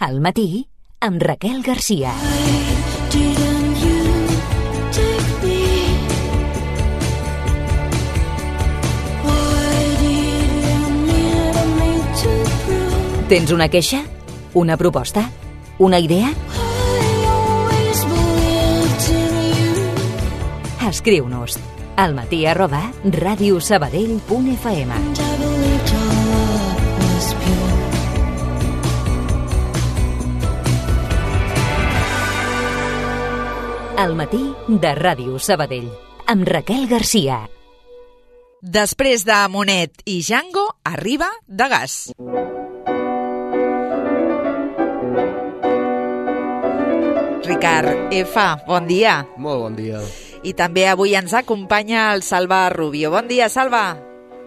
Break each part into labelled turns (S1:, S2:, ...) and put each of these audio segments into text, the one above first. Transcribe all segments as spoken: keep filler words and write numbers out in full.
S1: Al matí, amb Raquel Garcia. Tens una queixa? Una proposta? Una idea? Escriu-nos al matí arroba radiosabadell punt f m. Al matí de Ràdio Sabadell, amb Raquel Garcia.
S2: Després de Monet i Django, arriba Degas. Ricard F, bon dia.
S3: Molt bon dia.
S2: I també avui ens acompanya el Salva Rubio. Bon dia, Salva.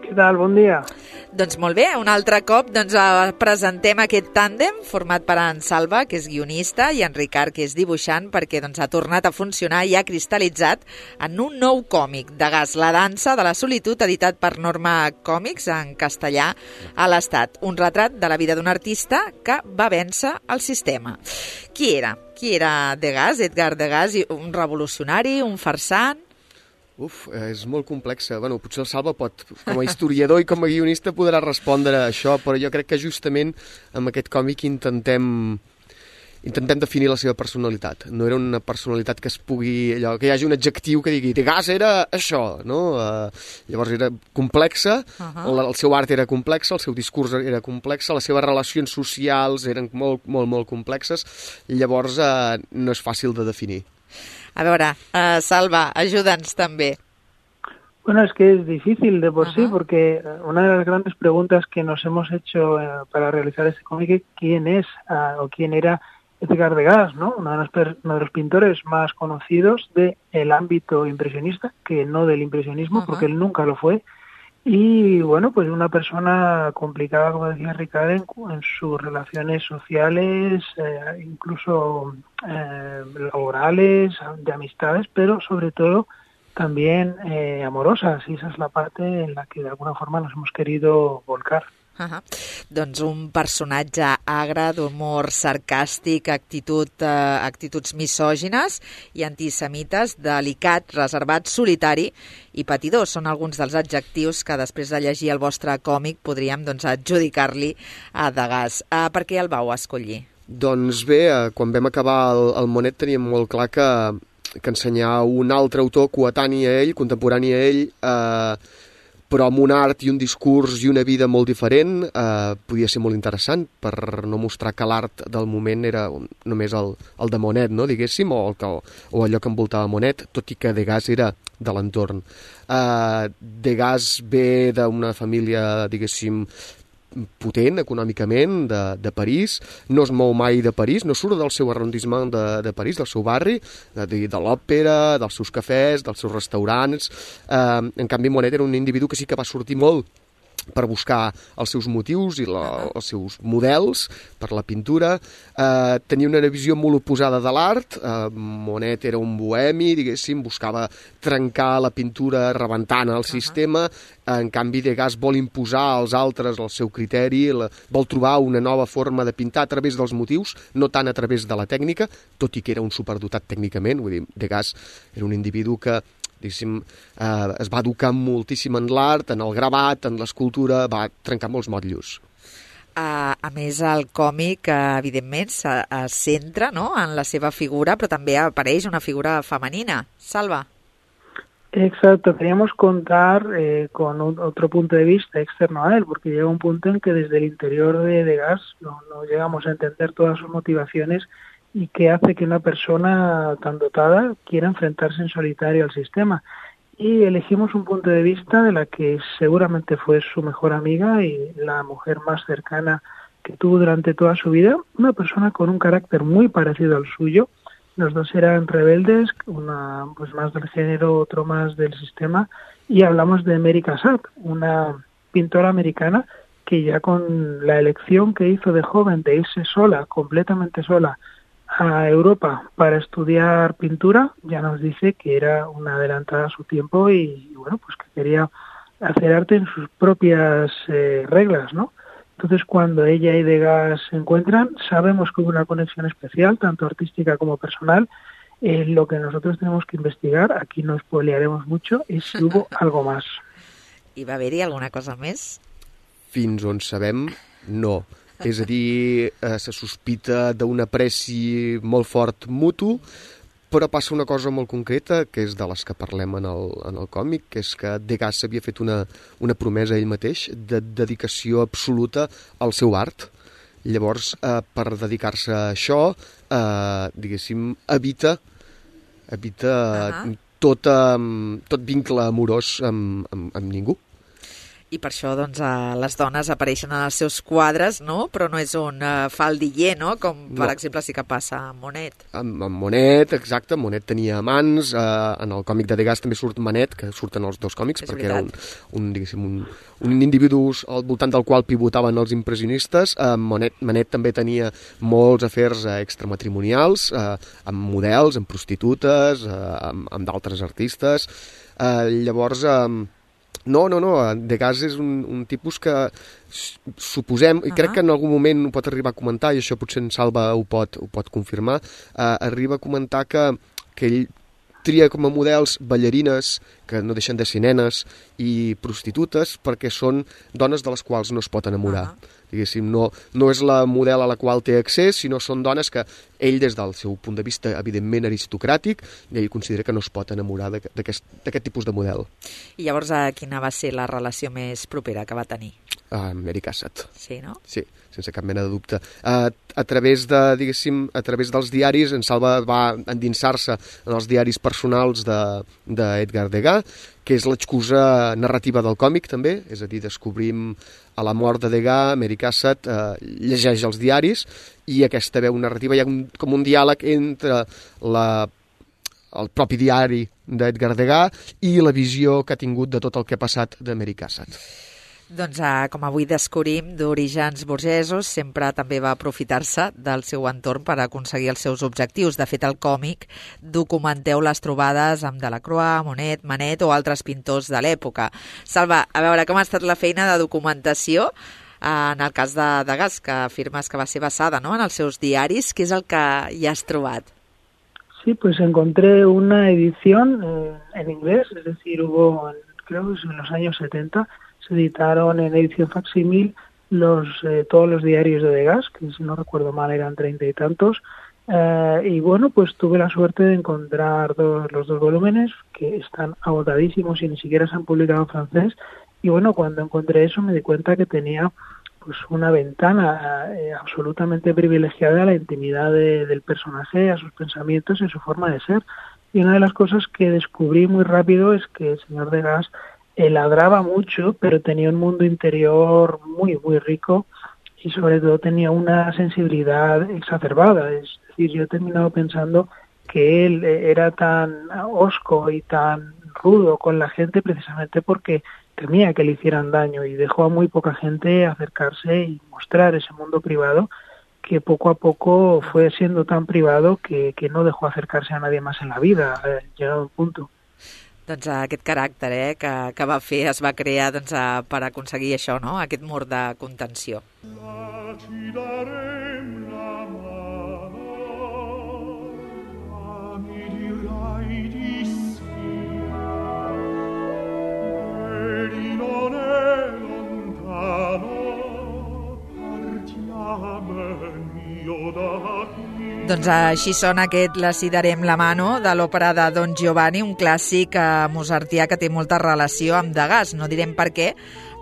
S4: Què tal? Bon dia.
S2: Doncs molt bé, un altre cop doncs, presentem aquest tàndem format per en Salva, que és guionista, i en Ricard, que és dibuixant, perquè doncs, ha tornat a funcionar i ha cristal·litzat en un nou còmic, Degas, la dansa de la solitud, editat per Norma Còmics en castellà a l'Estat. Un retrat de la vida d'un artista que va vèncer el sistema. Qui era? Qui era Degas, Edgar Degas? Un revolucionari, un farsant?
S3: Uf, és molt complexa. Bueno, potser el Salva pot, com a historiador i com a guionista, podrà respondre a això, però jo crec que justament amb aquest còmic intentem intentem definir la seva personalitat. No era una personalitat que es pugui... allò que hi hagi un adjectiu que digui Degas era això, no? Uh, llavors era complexa, uh-huh. el, el seu art era complex, el seu discurs era complex, les seves relacions socials eren molt, molt, molt complexes, i llavors uh, no és fàcil de definir.
S2: A veure, uh, Salva, ayúdanos también.
S4: Bueno, es que es difícil de por uh-huh. sí, porque una de las grandes preguntas que nos hemos hecho eh, para realizar este cómic es quién es uh, o quién era Edgar Degas, ¿no? Uno de, los, uno de los pintores más conocidos del ámbito impresionista, que no del impresionismo, uh-huh. porque él nunca lo fue. Y bueno, pues una persona complicada, como decía Ricardo, en, en sus relaciones sociales, eh, incluso eh, laborales, de amistades, pero sobre todo también eh, amorosas. Y esa es la parte en la que de alguna forma nos hemos querido volcar.
S2: Uh-huh. Doncs un personatge agre, d'humor sarcàstic, actitud, eh, actituds misògines i antisemites, delicat, reservat, solitari i patidor. Són alguns dels adjectius que després de llegir el vostre còmic podríem doncs, adjudicar-li a Degas. Uh, per què el vau escollir?
S3: Doncs bé, eh, quan vam acabar el, el Monet teníem molt clar que, que ensenyar un altre autor coetani a ell, contemporani a ell, eh, però amb un art i un discurs i una vida molt diferent, eh, podia ser molt interessant per no mostrar que l'art del moment era només el, el de Monet, no, diguéssim, o, el que, o allò que envoltava Monet, tot i que Degas era de l'entorn. Eh, Degas ve d'una família, diguéssim, potent econòmicament de, de París, no es mou mai de París, no surt del seu arrondissement de, de París, del seu barri, de, de l'òpera, dels seus cafès, dels seus restaurants. Eh, en canvi, Monet era un individu que sí que va sortir molt per buscar els seus motius i la, els seus models per la pintura. Eh, tenia una visió molt oposada de l'art. Eh, Monet era un bohemi, diguéssim, buscava trencar la pintura rebentant el sistema. En canvi, Degas vol imposar als altres el seu criteri, la, vol trobar una nova forma de pintar a través dels motius, no tant a través de la tècnica, tot i que era un superdotat tècnicament. Vull dir, Degas era un individu que diguéssim, eh, es va educar moltíssim en l'art, en el gravat, en l'escultura, va trencar molts motllos.
S2: Uh, a més, el còmic, uh, evidentment, se uh, centra, no?, en la seva figura, però també apareix una figura femenina. Salva.
S4: Exacto, queríamos contar eh, con un, otro punto de vista externo a él, porque llega un punto en que desde el interior de Degas no, no llegamos a entender todas sus motivaciones y que hace que una persona tan dotada quiera enfrentarse en solitario al sistema. Y elegimos un punto de vista de la que seguramente fue su mejor amiga y la mujer más cercana que tuvo durante toda su vida, una persona con un carácter muy parecido al suyo. Los dos eran rebeldes, una pues más del género, otro más del sistema, y hablamos de Mary Cassatt, una pintora americana que ya con la elección que hizo de joven de irse sola, completamente sola, a Europa para estudiar pintura, ya nos dice que era una adelantada a su tiempo y, y bueno, pues que quería hacer arte en sus propias eh, reglas, ¿no? Entonces, cuando ella y Degas se encuentran, sabemos que hubo una conexión especial, tanto artística como personal. Eh, lo que nosotros tenemos que investigar, aquí no spoilearemos mucho, és si hubo algo más.
S2: I va haver-hi alguna cosa més?
S3: Fins on sabem, no. És a dir, eh, se sospita d'un apreci molt fort mutu, però passa una cosa molt concreta, que és de les que parlem en el, en el còmic, que és que Degas havia fet una, una promesa a ell mateix de dedicació absoluta al seu art. Llavors, eh, per dedicar-se a això, eh, diguéssim, evita, evita uh-huh. tot, eh, tot vincle amorós amb, amb, amb ningú.
S2: I per això doncs, eh, les dones apareixen en els seus quadres, no? Però no és un eh, faldiller, no? Com, per no. exemple, sí que passa amb Monet.
S3: Amb, amb Monet, exacte. Monet tenia amants. Eh, en el còmic de Degas també surt Manet, que surten els dos còmics, és perquè veritat. era un, un, diguéssim, un, un individu al voltant del qual pivotaven els impressionistes. Eh, Monet, Manet també tenia molts afers eh, extramatrimonials, eh, amb models, amb prostitutes, eh, amb, amb d'altres artistes. Eh, llavors... Eh, No, no, no, Degas és un, un tipus que suposem, i crec que en algun moment ho pot arribar a comentar, i això potser en Salva ho pot, ho pot confirmar, eh, arriba a comentar que, que ell tria com a models ballarines, que no deixen de ser nenes, i prostitutes, perquè són dones de les quals no es pot enamorar. Uh-huh. Diguéssim, no, no és la model a la qual té accés, sinó són dones que ell, des del seu punt de vista, evidentment aristocràtic, ell considera que no es pot enamorar d'aquest, d'aquest tipus de model.
S2: I llavors, a quina va ser la relació més propera que va tenir?
S3: Uh, Mary Cassatt.
S2: Sí, no?
S3: Sí, sense cap mena de dubte. Uh, a través de, diguéssim, a través dels diaris, en Salva va endinsar-se en els diaris personals d'Edgar de, Degas, que és l'excusa narrativa del còmic, també, és a dir, descobrim a la mort de Degas, Mary Cassatt eh, llegeix els diaris, i aquesta veu narrativa, hi ha un, com un diàleg entre la, el propi diari d'Edgar Degas i la visió que ha tingut de tot el que ha passat de Mary Cassatt.
S2: Doncs, eh, com avui descobrim, d'orígens burgesos, sempre també va aprofitar-se del seu entorn per aconseguir els seus objectius. De fet, al còmic documenteu les trobades amb Delacroix, Monet, Manet o altres pintors de l'època. Salva, a veure, com ha estat la feina de documentació eh, en el cas de Degas, que afirmes que va ser basada, ¿no?, en els seus diaris? Què és el que hi has trobat?
S4: Sí, pues encontré una edición eh, en inglés, es decir, hubo, creo que en los años setenta, se editaron en edición facsímil los, eh, todos los diarios de Degas, que si no recuerdo mal eran treinta y tantos, eh, y bueno, pues tuve la suerte de encontrar dos, los dos volúmenes que están agotadísimos y ni siquiera se han publicado en francés, y bueno, cuando encontré eso me di cuenta que tenía pues una ventana eh, absolutamente privilegiada a la intimidad de, del personaje, a sus pensamientos y a su forma de ser. Y una de las cosas que descubrí muy rápido es que el señor Degas eh, ladraba mucho, pero tenía un mundo interior muy, muy rico y sobre todo tenía una sensibilidad exacerbada. Es decir, yo he terminado pensando que él eh, era tan hosco y tan rudo con la gente precisamente porque temía que le hicieran daño y dejó a muy poca gente acercarse y mostrar ese mundo privado que poco a poco fue siendo tan privado que, que no dejó acercarse a nadie más en la vida, eh, llegado a un punto.
S2: Doncs aquest caràcter eh, que, que va fer es va crear doncs, per aconseguir això, no?, aquest mur de contenció. Doncs així sona aquest La si darem la mano de l'òpera de Don Giovanni, un clàssic eh, mozartià que té molta relació amb Degas. No direm per què,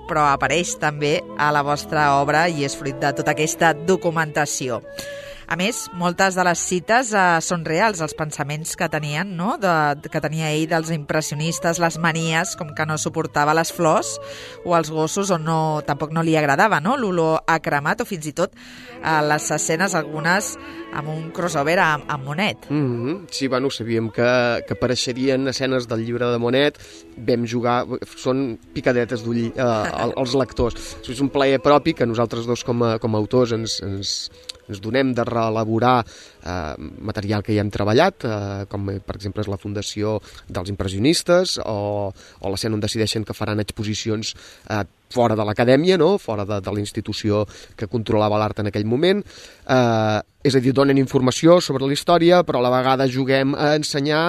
S2: però apareix també a la vostra obra i és fruit de tota aquesta documentació. A més, moltes de les cites eh, són reals, els pensaments que tenien, no?, de, que tenia ell dels impressionistes, les manies, com que no suportava les flors o els gossos, o no, tampoc no li agradava, no?, l'olor a cremat, o fins i tot eh, les escenes, algunes amb un crossover amb, amb Monet.
S3: Mm-hmm. Sí, bueno, sabíem que, que apareixerien escenes del llibre de Monet, vam jugar, són picadetes d'ull eh, als lectors. És un plaer propi que nosaltres dos com a, com a autors ens, ens, ens donem de reelaborar eh, material que ja hem treballat, eh, com per exemple és la Fundació dels Impressionistes o, o l'escena on decideixen que faran exposicions eh, fora de l'acadèmia, no? Fora de, de la institució que controlava l'art en aquell moment. Eh, és a dir, donen informació sobre la història, però a la vegada juguem a ensenyar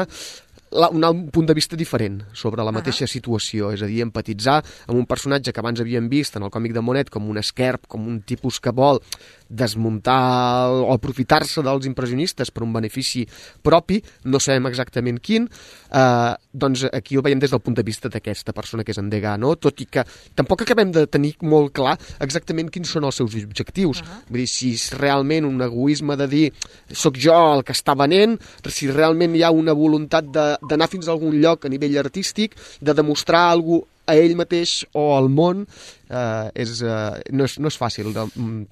S3: la, un, un punt de vista diferent sobre la mateixa situació, és a dir, empatitzar amb un personatge que abans havíem vist en el còmic de Monet com un esquerp, com un tipus que vol desmuntar o aprofitar-se dels impressionistes per un benefici propi, no sabem exactament quin, eh, doncs aquí ho veiem des del punt de vista d'aquesta persona que és en Degas, no? Tot i que tampoc acabem de tenir molt clar exactament quins són els seus objectius. Uh-huh. Vull dir, si és realment un egoisme de dir sóc jo el que està venent, si realment hi ha una voluntat d'anar fins a algun lloc a nivell artístic, de demostrar alguna cosa a ell mateix o al món, eh, és, eh, no, és, no és fàcil.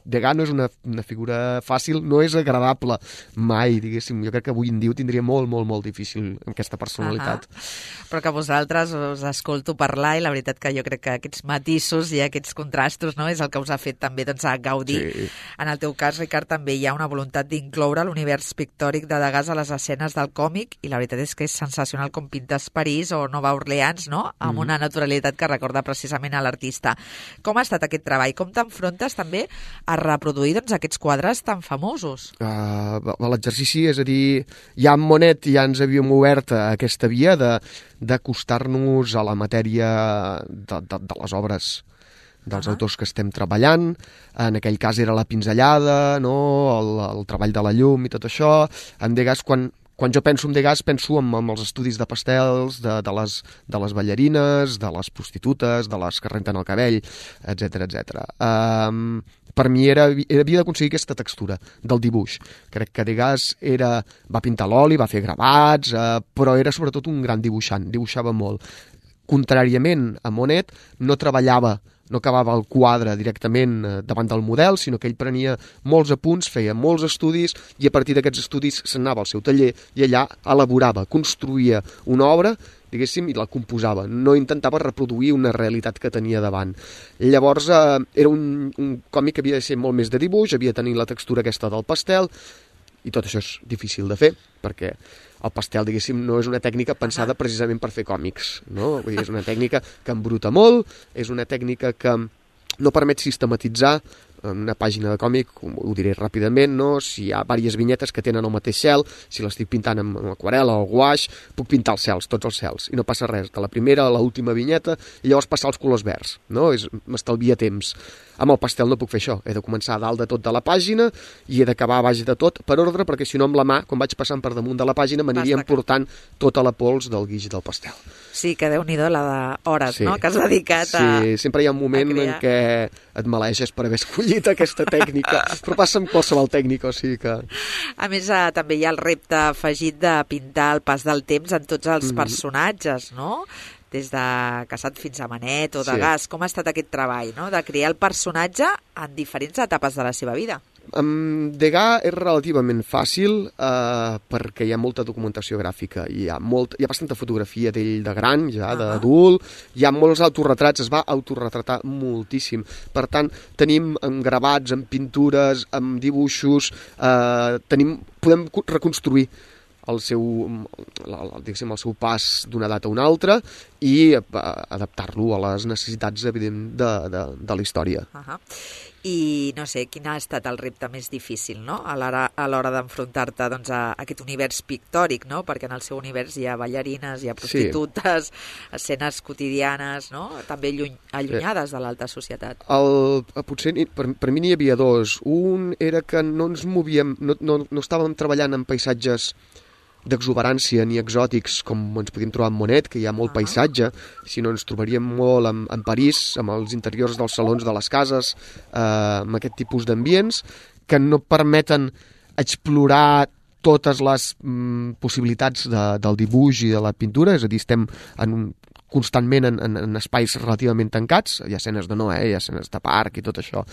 S3: Degas no és una, una figura fàcil, no és agradable mai, diguéssim. Jo crec que avui en dia ho tindria molt, molt, molt difícil amb aquesta personalitat.
S2: Uh-huh. Però que vosaltres us escolto parlar i la veritat que jo crec que aquests matisos i aquests contrastos, no, és el que us ha fet també doncs, a gaudir. Sí. En el teu cas, Ricard, també hi ha una voluntat d'incloure l'univers pictòric de Degas a les escenes del còmic i la veritat és que és sensacional com pintes París o Nova Orleans, no?, amb mm-hmm. una naturalitat que recorda precisament a l'artista. Com ha estat aquest treball? Com t'enfrontes també a reproduir doncs, aquests quadres tan famosos?
S3: Uh, L'exercici, és a dir, ja amb Monet ja ens havíem obert a aquesta via de d'acostar-nos a la matèria de, de, de les obres dels uh-huh. autors que estem treballant. En aquell cas era la pinzellada, no? el, el treball de la llum i tot això. En Degas, quan Quan jo penso en Degas, penso en, en els estudis de pastels, de, de, les, de les ballarines, de les prostitutes, de les que renten el cabell, etcètera, etcètera. Um, per mi era, havia d'aconseguir aquesta textura del dibuix. Crec que Degas era, va pintar l'oli, va fer gravats, uh, però era sobretot un gran dibuixant, dibuixava molt. Contràriament a Monet, no treballava no acabava el quadre directament davant del model, sinó que ell prenia molts apunts, feia molts estudis i a partir d'aquests estudis s'anava al seu taller i allà elaborava, construïa una obra, diguéssim, i la composava. No intentava reproduir una realitat que tenia davant. Llavors, eh, era un, un còmic que havia de ser molt més de dibuix, havia de tenir la textura aquesta del pastel, i tot això és difícil de fer, perquè el pastel, diguéssim, no és una tècnica pensada precisament per fer còmics, no? Vull dir, és una tècnica que embruta molt, és una tècnica que no permet sistematitzar en una pàgina de còmic, ho diré ràpidament, no? Si hi ha diverses vinyetes que tenen el mateix cel, si l'estic pintant amb, amb aquarel·la o guaix, puc pintar els cels, tots els cels, i no passa res, de la primera a l'última vinyeta, i llavors passar els colors verds, no? M'estalvia temps. Amb el pastel no puc fer això, he de començar a dalt de tot de la pàgina i he d'acabar a baix de tot per ordre, perquè si no amb la mà, quan vaig passant per damunt de la pàgina, m'aniria portant tota la pols del guix del pastel.
S2: Sí, que déu-n'hi-do la d'hores, sí. no?, que has dedicat a
S3: Sí, sempre hi ha un moment en què et maleeixes per haver escollit aquesta tècnica, però passa amb qualsevol tècnica, o sigui que...
S2: A més, eh, també hi ha el repte afegit de pintar el pas del temps en tots els mm. personatges, no?, des de Casat fins a Manet o Degas. Sí. Com ha estat aquest treball, no?, de crear el personatge en diferents etapes de la seva vida?
S3: Amb Degas és relativament fàcil eh, perquè hi ha molta documentació gràfica, hi ha, molt, hi ha bastanta fotografia d'ell de gran, ja, uh-huh. d'adult, hi ha molts autorretrats, es va autorretratar moltíssim. Per tant, tenim amb gravats, amb pintures, amb dibuixos, eh, tenim, podem reconstruir el seu, diguéssim, el seu pas d'una data a una altra i adaptar-lo a les necessitats, evident, de, de, de la història.
S2: Uh-huh. I no sé, quin ha estat el repte més difícil, no?, a l'hora, a l'hora d'enfrontar-te doncs, a aquest univers pictòric, no?, perquè en el seu univers hi ha ballarines, hi ha prostitutes, sí. escenes quotidianes, no?, també lluny, allunyades de l'alta societat.
S3: El, potser per, per mi n'hi havia dos. Un era que no ens movíem, no, no, no estàvem treballant en paisatges d'exuberància ni exòtics com ens podíem trobar en Monet, que hi ha molt uh-huh. paisatge, sinó ens trobaríem molt en, en París, amb els interiors dels salons de les cases, eh, amb aquest tipus d'ambients que no permeten explorar totes les mm, possibilitats de, del dibuix i de la pintura, és a dir, estem en un constantment en, en, en espais relativament tancats, hi ha escenes de Noè, hi ha escenes de parc i tot això.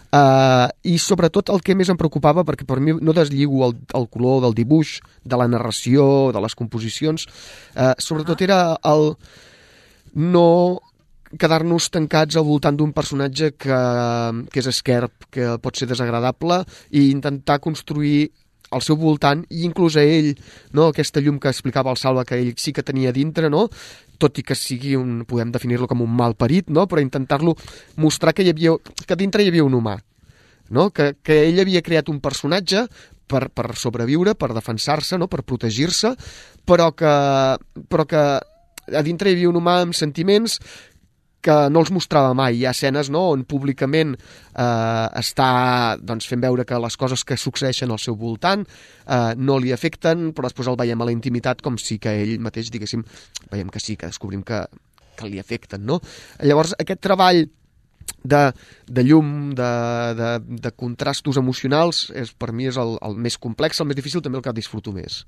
S3: Uh, I sobretot el que més em preocupava, perquè per mi no deslligo el, el color del dibuix, de la narració, de les composicions, uh, sobretot era el no quedar-nos tancats al voltant d'un personatge que, que és esquerp, que pot ser desagradable, i intentar construir al seu voltant, i inclús a ell, no? Aquesta llum que explicava el Salva, que ell sí que tenia dintre, no? Tot i que sigui un, podem definir-lo com un malparit, no? Però intentar-lo mostrar que hi havia, que dintre hi havia un humà, no? Que, que ell havia creat un personatge per, per sobreviure, per defensar-se, no? Per protegir-se, però que, però que a dintre hi havia un humà amb sentiments que no els mostrava mai. Hi ha escenes, no?, on públicament eh, està, doncs, fent veure que les coses que succeeixen al seu voltant eh, no li afecten, però després el veiem a la intimitat com si que ell mateix, diguéssim, veiem que sí, que descobrim que, que li afecten, no? Llavors, aquest treball de, de llum, de, de, de contrastos emocionals, és, per mi és el, el més complex, el més difícil, també el que disfruto més.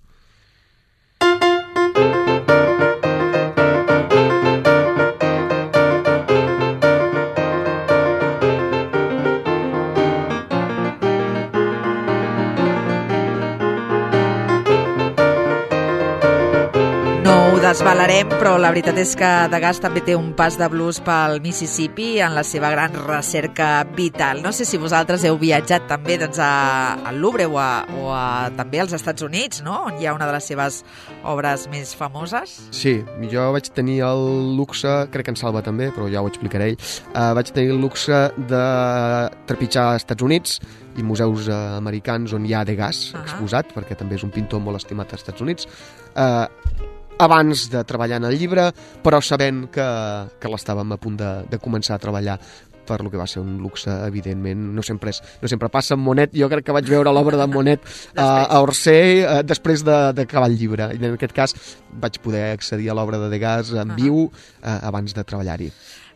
S2: Desvalarem, però la veritat és que Degas també té un pas de blues pel Mississippi en la seva gran recerca vital. No sé si vosaltres heu viatjat també doncs, a, al Louvre o, a, o a, també als Estats Units, no?, on hi ha una de les seves obres més famoses.
S3: Sí, jo vaig tenir el luxe, crec que en Salva també, però ja ho explicaré ell, uh, vaig tenir el luxe de trepitjar als Estats Units i museus uh, americans on hi ha Degas uh-huh. exposat, perquè també és un pintor molt estimat als Estats Units. Uh, abans de treballar en el llibre, però sabent que, que l'estàvem a punt de, de començar a treballar, per lo que va ser un luxe, evidentment. No sempre, és, no sempre passa amb Monet. Jo crec que vaig veure l'obra de Monet a, a Orsay uh, després d'acabar el llibre. I en aquest cas vaig poder accedir a l'obra de Degas en viu uh, abans de treballar-hi.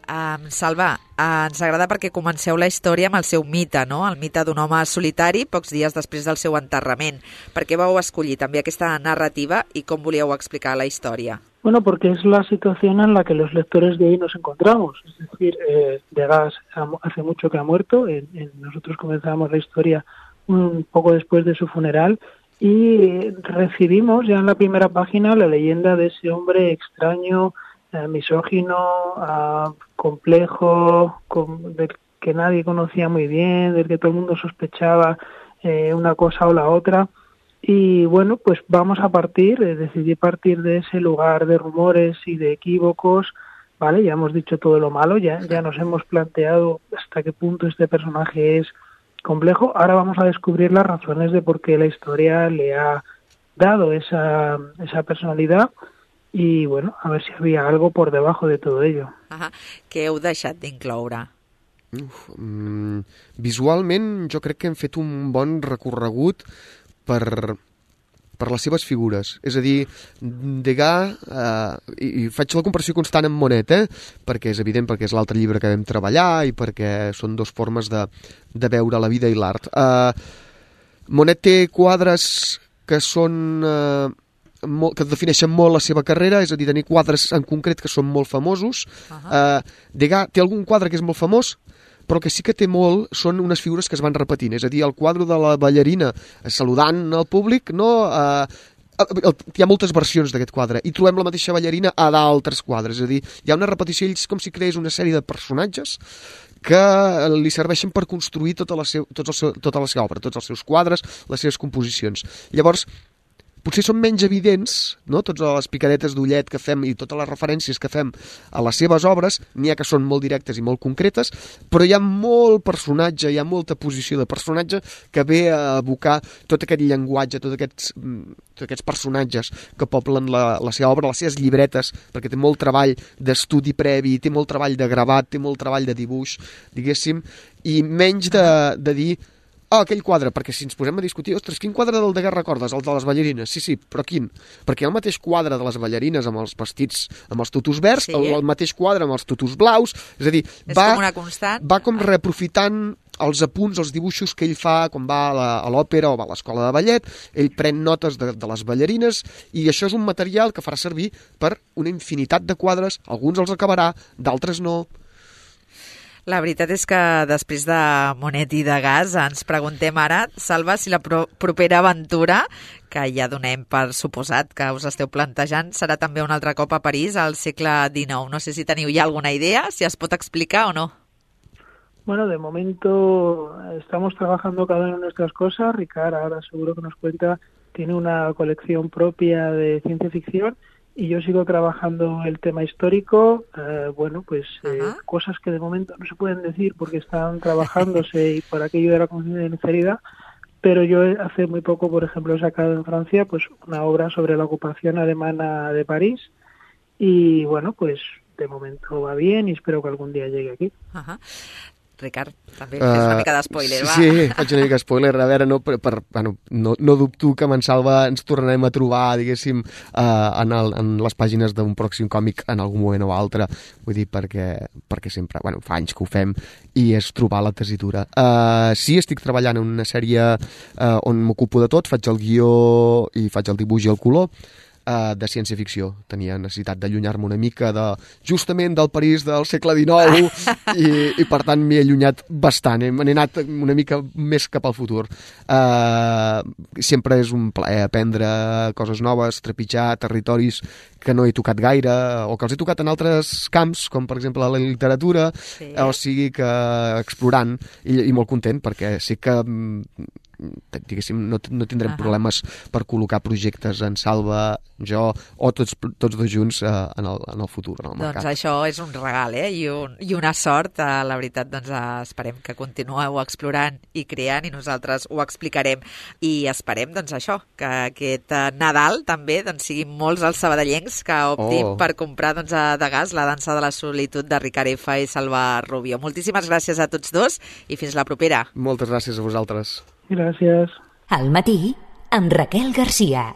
S2: Um, Salva, uh, ens agrada perquè comenceu la història amb el seu mite, no? El mite d'un home solitari pocs dies després del seu enterrament. Per què vau escollir també aquesta narrativa i com volíeu explicar la història?
S4: Bueno, porque es la situación en la que los lectores de hoy nos encontramos. Es decir, eh, Degas hace mucho que ha muerto. En, en, nosotros comenzamos la historia un poco después de su funeral y recibimos ya en la primera página la leyenda de ese hombre extraño, eh, misógino, eh, complejo, con, del que nadie conocía muy bien, del que todo el mundo sospechaba eh, una cosa o la otra. Y bueno, pues vamos a partir, eh, decidí partir de ese lugar de rumores y de equívocos, ¿vale? Ya hemos dicho todo lo malo, ya, ya nos hemos planteado hasta qué punto este personaje es complejo. Ahora vamos a descubrir las razones de por qué la historia le ha dado esa, esa personalidad y, bueno, a ver si había algo por debajo de todo ello.
S2: Ajá. Què heu deixat d'incloure?
S3: Uf, mm, visualment jo crec que hem fet un bon recorregut per, per les seves figures. És a dir, Degas, eh, i, i faig la comparació constant amb Monet, eh, perquè és evident, perquè és l'altre llibre que vam treballar i perquè són dues formes de, de veure la vida i l'art. Eh, Monet té quadres que són... Eh, molt, que defineixen molt la seva carrera, és a dir, tenir quadres en concret que són molt famosos. Uh-huh. Eh, Degas té algun quadre que és molt famós, però que sí que té molt són unes figures que es van repetint, és a dir, el quadre de la ballarina saludant al públic, no? Eh, hi ha moltes versions d'aquest quadre i trobem la mateixa ballarina a d'altres quadres, és a dir, hi ha una repetició, ells com si creés una sèrie de personatges que li serveixen per construir tota la, seu, tot el seu, tota la seva obra, tots els seus quadres, les seves composicions. Llavors, potser són menys evidents, no? Totes les picadetes d'ullet que fem i totes les referències que fem a les seves obres, n'hi ha que són molt directes i molt concretes, però hi ha molt personatge, hi ha molta posició de personatge que ve a evocar tot aquest llenguatge, tots aquests, tots aquests personatges que poblen la, la seva obra, les seves llibretes, perquè té molt treball d'estudi previ, té molt treball de gravat, té molt treball de dibuix, diguéssim, i menys de, de dir ah, oh, aquell quadre, perquè si ens posem a discutir, ostres, quin quadre del Degas recordes? El de les ballarines? Sí, sí, però quin? Perquè hi ha el mateix quadre de les ballarines amb els vestits, amb els tutus verds, sí. el, el mateix quadre amb els tutus blaus, és a dir,
S2: és
S3: va,
S2: com una constant.
S3: Va com reaprofitant els apunts, els dibuixos que ell fa quan va a l'òpera o va a l'escola de ballet, ell pren notes de, de les ballarines i això és un material que farà servir per una infinitat de quadres, alguns els acabarà, d'altres no.
S2: La veritat és que després de Monet i Degas ens preguntem ara, Salva, si la pro- propera aventura, que ja donem per suposat que us esteu plantejant, serà també un altre cop a París al segle dinou. No sé si teniu ja alguna idea, si es pot explicar o no.
S4: Bueno, de momento estamos trabajando cada una en nuestras cosas. Ricard ahora seguro que nos cuenta, tiene una colección propia de ciencia ficción y yo sigo trabajando el tema histórico. Eh, bueno, pues eh, cosas que de momento no se pueden decir porque están trabajándose y por aquello de la confidencialidad, pero yo hace muy poco, por ejemplo, he sacado en Francia pues una obra sobre la ocupación alemana de París y bueno, pues de momento va bien i espero que algun dia llegue aquí.
S2: Uh-huh. Ricard, també fes una mica d'espoiler,
S3: uh,
S2: va.
S3: Sí, faig una mica d'espoiler. A veure, no, per, per, bueno, no, no dubto que amb en Salva ens tornarem a trobar, diguéssim, uh, en, el, en les pàgines d'un pròxim còmic en algun moment o altre. Vull dir, perquè, perquè sempre, bueno, fa anys que ho fem i és trobar la tessitura. Uh, sí, estic treballant en una sèrie uh, on m'ocupo de tot, faig el guió i faig el dibuix i el color, Uh, de ciència-ficció. Tenia necessitat d'allunyar-me una mica de, justament del París del segle dinou i, i per tant m'he allunyat bastant. He, m'he anat una mica més cap al futur. Uh, sempre és un plaer aprendre coses noves, trepitjar territoris que no he tocat gaire o que els he tocat en altres camps, com per exemple la literatura, sí. O sigui que explorant i, i molt content perquè sé que diguéssim, no, no tindrem uh-huh. problemes per col·locar projectes en Salva, jo o tots, tots dos junts uh, en, el, en el futur, en el mercat.
S2: Doncs això és un regal, eh? I, un, i una sort. Uh, la veritat, doncs uh, esperem que continueu explorant i creant i nosaltres ho explicarem. I esperem, doncs això, que aquest uh, Nadal també doncs, siguin molts els sabadellencs que optin oh. per comprar doncs, a Degas La dansa de la solitud de Ricard F. i Salva Rubio. Moltíssimes gràcies a tots dos i fins la propera.
S3: Moltes gràcies a vosaltres.
S4: Gràcies.
S1: Al matí, amb Raquel Garcia.